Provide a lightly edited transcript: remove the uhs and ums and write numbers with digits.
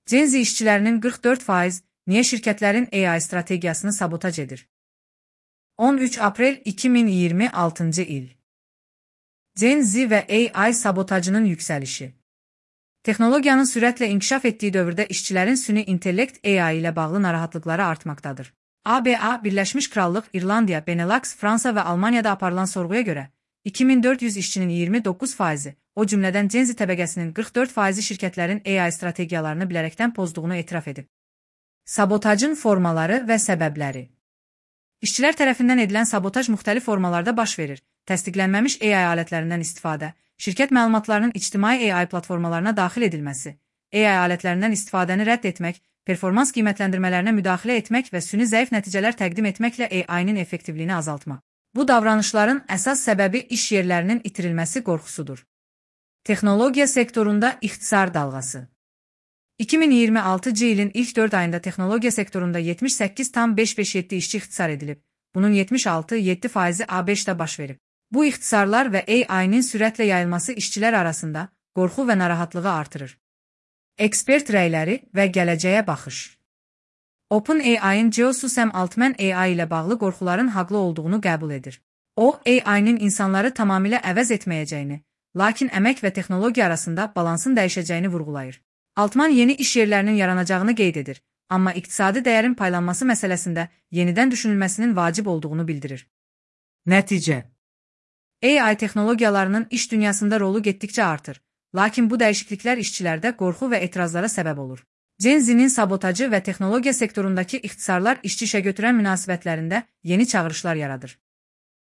Gen Z işçilərinin 44% niyə şirkətlərin AI strategiyasını sabotaj edir? 13 aprel 2026 il. Gen Z və AI sabotajının yüksəlişi. Texnologiyanın sürətlə inkişaf etdiyi dövrdə işçilərin süni intellekt AI ilə bağlı narahatlıqları artmaqdadır. ABA, Birləşmiş Krallıq, İrlandiya, Benelux, Fransa və Almaniyada aparılan sorğuya görə 2400 işçinin 29%, o cümlədən Gen Z təbəqəsinin 44%-i şirkətlərin AI strategiyalarını bilərəkdən pozduğunu etiraf edib. Sabotajın formaları və səbəbləri. İşçilər tərəfindən edilən sabotaj müxtəlif formalarda baş verir. Təsdiqlənməmiş AI alətlərindən istifadə, şirkət məlumatlarının ictimai AI platformalarına daxil edilməsi, AI alətlərindən istifadəni rədd etmək, performans qiymətləndirmələrinə müdaxilə etmək və süni zəif nəticələr təqdim etməklə AI-nin effektivliyini azaltmaq. Bu davranışların əsas səbəbi iş yerlərinin itirilməsi qorxusudur. Texnologiya sektorunda ixtisar dalğası. 2026 ilin ilk 4 ayında texnologiya sektorunda 78,557 işçi ixtisar edilib. Bunun 76,7%-i ABŞ-da baş verib. Bu ixtisarlar və AI-nin sürətlə yayılması işçilər arasında qorxu və narahatlığı artırır. Ekspert rəyləri və gələcəyə baxış. OpenAI-ın CEO-su Sam Altman AI ilə bağlı qorxuların haqlı olduğunu qəbul edir. O, AI-nin insanları tamamilə əvəz etməyəcəyini, lakin əmək və texnologiya arasında balansın dəyişəcəyini vurğulayır. Altman yeni iş yerlərinin yaranacağını qeyd edir, amma iqtisadi dəyərin paylanması məsələsində yenidən düşünülməsinin vacib olduğunu bildirir. Nəticə. AI texnologiyalarının iş dünyasında rolu getdikcə artır, lakin bu dəyişikliklər işçilərdə qorxu və etirazlara səbəb olur. Gen Z-nin sabotajı və texnologiya sektorundakı ixtisarlar işçi işə götürən münasibətlərində yeni çağırışlar yaradır.